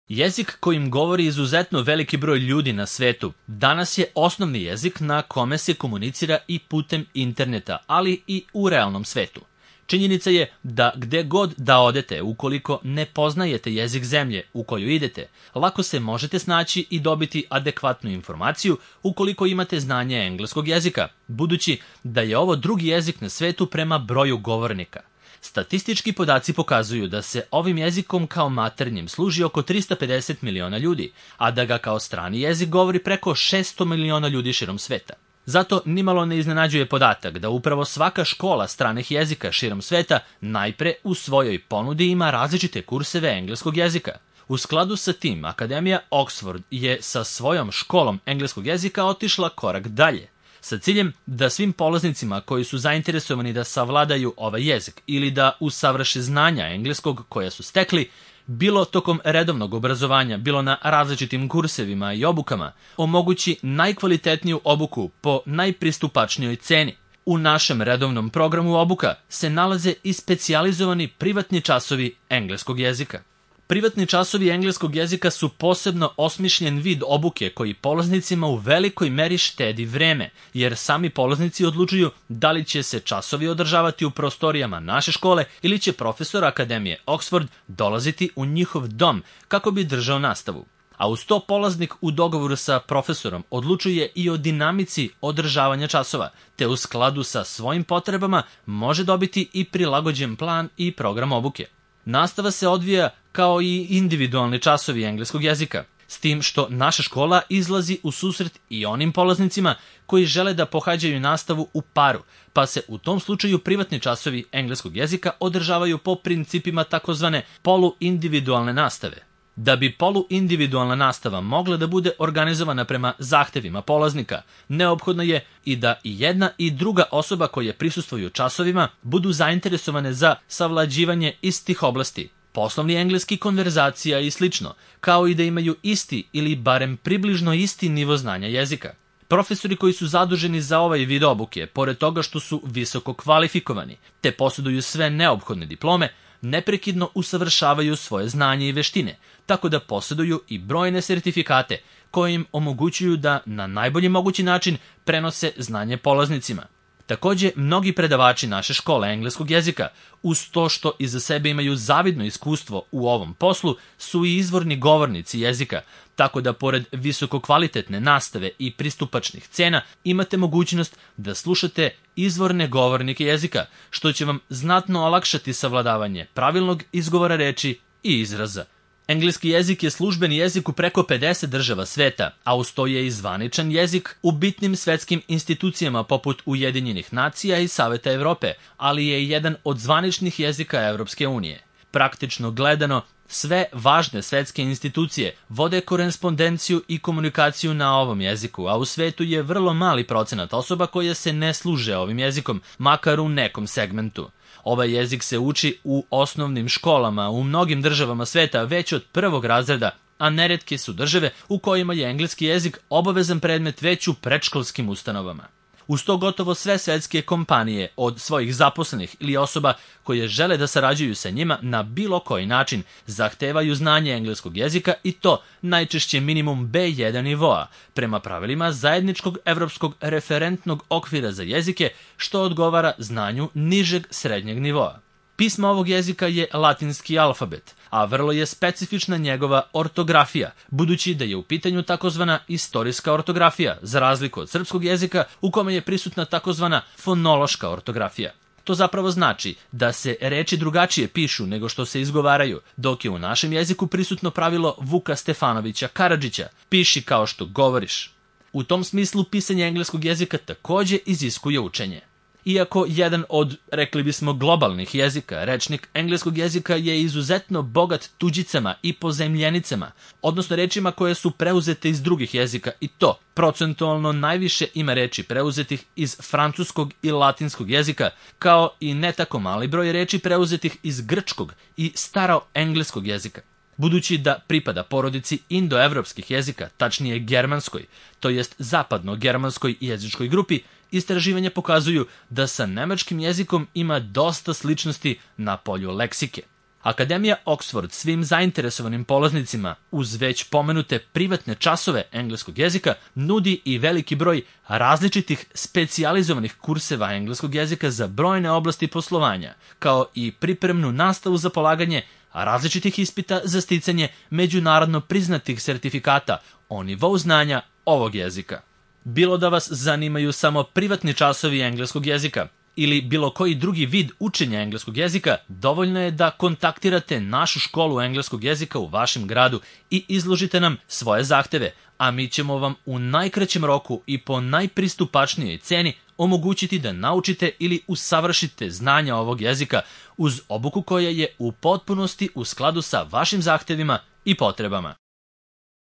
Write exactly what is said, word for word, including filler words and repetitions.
Jezik kojim govori izuzetno veliki broj ljudi na svetu danas je osnovni jezik na kome se komunicira i putem interneta, ali i u realnom svetu. Činjenica je da gde god da odete, ukoliko ne poznajete jezik zemlje u koju idete, lako se možete snaći i dobiti adekvatnu informaciju ukoliko imate znanje engleskog jezika, budući da je ovo drugi jezik na svetu prema broju govornika. Statistički podaci pokazuju da se ovim jezikom kao maternjim služi oko trista pedeset miliona ljudi, a da ga kao strani jezik govori preko šesto miliona ljudi širom sveta. Zato nimalo ne iznenađuje podatak da upravo svaka škola stranih jezika širom sveta najpre u svojoj ponudi ima različite kurseve engleskog jezika. U skladu sa tim, Akademija Oxford je sa svojom školom engleskog jezika otišla korak dalje, sa ciljem da svim polaznicima koji su zainteresovani da savladaju ovaj jezik ili da usavrše znanja engleskog koja su stekli, bilo tokom redovnog obrazovanja, bilo na različitim kursevima i obukama, omogući najkvalitetniju obuku po najpristupačnijoj ceni. U našem redovnom programu obuka se nalaze i specijalizovani privatni časovi engleskog jezika. Privatni časovi engleskog jezika su posebno osmišljen vid obuke koji polaznicima u velikoj meri štedi vreme, jer sami polaznici odlučuju da li će se časovi održavati u prostorijama naše škole ili će profesor Akademije Oxford dolaziti u njihov dom kako bi držao nastavu. A uz to polaznik u dogovoru sa profesorom odlučuje i o dinamici održavanja časova, te u skladu sa svojim potrebama može dobiti i prilagođen plan i program obuke. Nastava se odvija kao i individualni časovi engleskog jezika, s tim što naša škola izlazi u susret i onim polaznicima koji žele da pohađaju nastavu u paru, pa se u tom slučaju privatni časovi engleskog jezika održavaju po principima takozvane poluindividualne nastave. Da bi poluindividualna nastava mogla da bude organizovana prema zahtevima polaznika, neophodno je i da i jedna i druga osoba koje prisustvuju časovima budu zainteresovane za savlađivanje istih oblasti, poslovni engleski, konverzacija i slično, kao i da imaju isti ili barem približno isti nivo znanja jezika. Profesori koji su zaduženi za ovaj vid obuke, pored toga što su visoko kvalifikovani, te posjeduju sve neophodne diplome, neprekidno usavršavaju svoje znanje i veštine, tako da posjeduju i brojne sertifikate koje im omogućuju da na najbolji mogući način prenose znanje polaznicima. Takođe, mnogi predavači naše škole engleskog jezika, uz to što iza sebe imaju zavidno iskustvo u ovom poslu, su i izvorni govornici jezika, tako da pored visokokvalitetne nastave i pristupačnih cena imate mogućnost da slušate izvorne govornike jezika, što će vam znatno olakšati savladavanje pravilnog izgovora reči i izraza. Engleski jezik je službeni jezik u preko pedeset država sveta, a uz to je i zvaničan jezik u bitnim svetskim institucijama poput Ujedinjenih nacija i Saveta Evrope, ali je i jedan od zvaničnih jezika Evropske unije. Praktično gledano, sve važne svetske institucije vode korespondenciju i komunikaciju na ovom jeziku, a u svetu je vrlo mali procenat osoba koje se ne služe ovim jezikom, makar u nekom segmentu. Ovaj jezik se uči u osnovnim školama u mnogim državama sveta već od prvog razreda, a neretke su države u kojima je engleski jezik obavezan predmet već u predškolskim ustanovama. Uz to gotovo sve svetske kompanije od svojih zaposlenih ili osoba koje žele da sarađuju sa njima na bilo koji način zahtevaju znanje engleskog jezika i to najčešće minimum be jedan nivoa, prema pravilima zajedničkog evropskog referentnog okvira za jezike, što odgovara znanju nižeg srednjeg nivoa. Pismo ovog jezika je latinski alfabet, a vrlo je specifična njegova ortografija, budući da je u pitanju takozvana istorijska ortografija, za razliku od srpskog jezika u kome je prisutna takozvana fonološka ortografija. To zapravo znači da se reči drugačije pišu nego što se izgovaraju, dok je u našem jeziku prisutno pravilo Vuka Stefanovića Karadžića, piši kao što govoriš. U tom smislu pisanje engleskog jezika takođe iziskuje učenje. Iako jedan od, rekli bismo, globalnih jezika, rečnik engleskog jezika je izuzetno bogat tuđicama i pozemljenicama, odnosno rečima koje su preuzete iz drugih jezika, i to procentualno najviše ima reči preuzetih iz francuskog i latinskog jezika, kao i ne tako mali broj reči preuzetih iz grčkog i staroengleskog jezika. Budući da pripada porodici indoevropskih jezika, tačnije germanskoj, to jest zapadno-germanskoj jezičkoj grupi, istraživanja pokazuju da sa nemačkim jezikom ima dosta sličnosti na polju leksike. Akademija Oxford svim zainteresovanim polaznicima uz već pomenute privatne časove engleskog jezika nudi i veliki broj različitih specijalizovanih kurseva engleskog jezika za brojne oblasti poslovanja, kao i pripremnu nastavu za polaganje različitih ispita za sticanje međunarodno priznatih sertifikata o nivou znanja ovog jezika. Bilo da vas zanimaju samo privatni časovi engleskog jezika ili bilo koji drugi vid učenja engleskog jezika, dovoljno je da kontaktirate našu školu engleskog jezika u vašem gradu i izložite nam svoje zahteve, a mi ćemo vam u najkraćem roku i po najpristupačnijoj ceni omogućiti da naučite ili usavršite znanja ovog jezika uz obuku koja je u potpunosti u skladu sa vašim zahtevima i potrebama.